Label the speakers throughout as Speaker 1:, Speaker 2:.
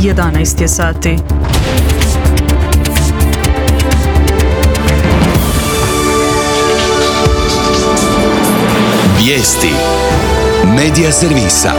Speaker 1: 11 je sati.
Speaker 2: Vijesti Medija servisa.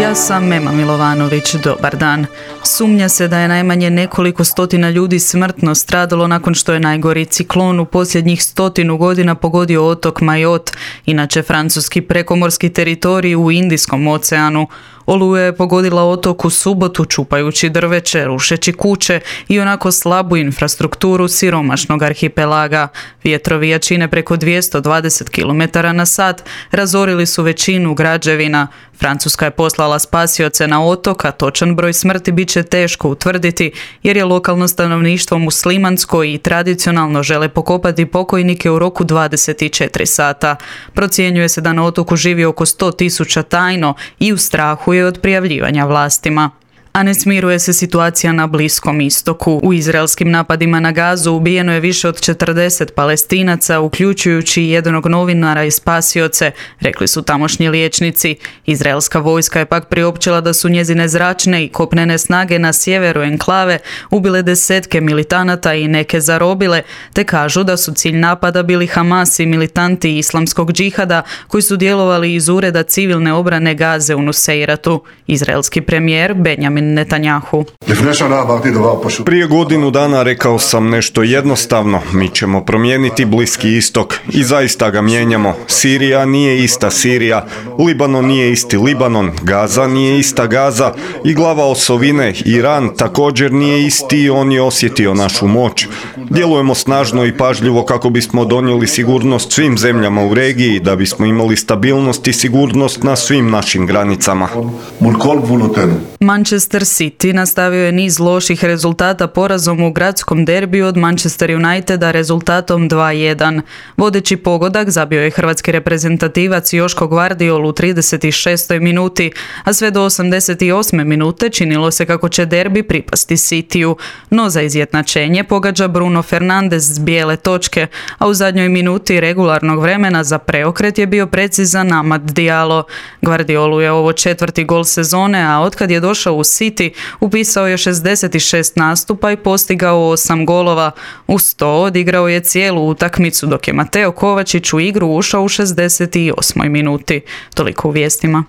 Speaker 1: Ja sam Mema Milovanović, dobar dan. Sumnja se da je najmanje nekoliko stotina ljudi smrtno stradalo nakon što je najgori ciklon u posljednjih 100 godina pogodio otok Mayotte, inače francuski prekomorski teritorij u Indijskom oceanu. Oluja je pogodila otok u subotu čupajući drveće, rušeći kuće i onako slabu infrastrukturu siromašnog arhipelaga. Vjetrovi jačine preko 220 km/h razorili su većinu građevina. Francuska je poslala spasioce na otok, a točan broj smrti bit će teško utvrditi jer je lokalno stanovništvo muslimansko i tradicionalno žele pokopati pokojnike u roku 24 sata. Procjenjuje se da na otoku živi oko 100.000 tajno i u strahu je od prijavljivanja vlastima. A ne smiruje se situacija na Bliskom istoku. U izraelskim napadima na Gazu ubijeno je više od 40 Palestinaca, uključujući jednog novinara i spasioce, rekli su tamošnji liječnici. Izraelska vojska je pak priopćila da su njezine zračne i kopnene snage na sjeveru enklave ubile desetke militanata i neke zarobile, te kažu da su cilj napada bili Hamas i militanti islamskog džihada koji su djelovali iz ureda civilne obrane Gaze u Nuseiratu. Izraelski premijer Benjamin Netanjahu.
Speaker 3: Prije godinu dana rekao sam nešto jednostavno, mi ćemo promijeniti Bliski istok i zaista ga mijenjamo. Sirija nije ista Sirija, Libanon nije isti Libanon, Gaza nije ista Gaza i glava osovine Iran također nije isti i on je osjetio našu moć. Djelujemo snažno i pažljivo kako bismo donijeli sigurnost svim zemljama u regiji, da bismo imali stabilnost i sigurnost na svim našim granicama.
Speaker 1: Manchester City nastavio je niz loših rezultata porazom u gradskom derbiju od Manchester Uniteda rezultatom 2:1. Vodeći pogodak zabio je hrvatski reprezentativac Joško Gvardiol u 36. minuti, a sve do 88. minute činilo se kako će derbi pripasti Cityu. No za izjednačenje pogađa Bruno Fernandes s bijele točke, a u zadnjoj minuti regularnog vremena za preokret je bio precizan Amad Diallo. Gvardiolu je ovo 4. gol sezone, a otkad je došao u City upisao je 66 nastupa i postigao 8 golova. Uz to odigrao je cijelu utakmicu, dok je Mateo Kovačić u igru ušao u 68. minuti. Toliko u vijestima.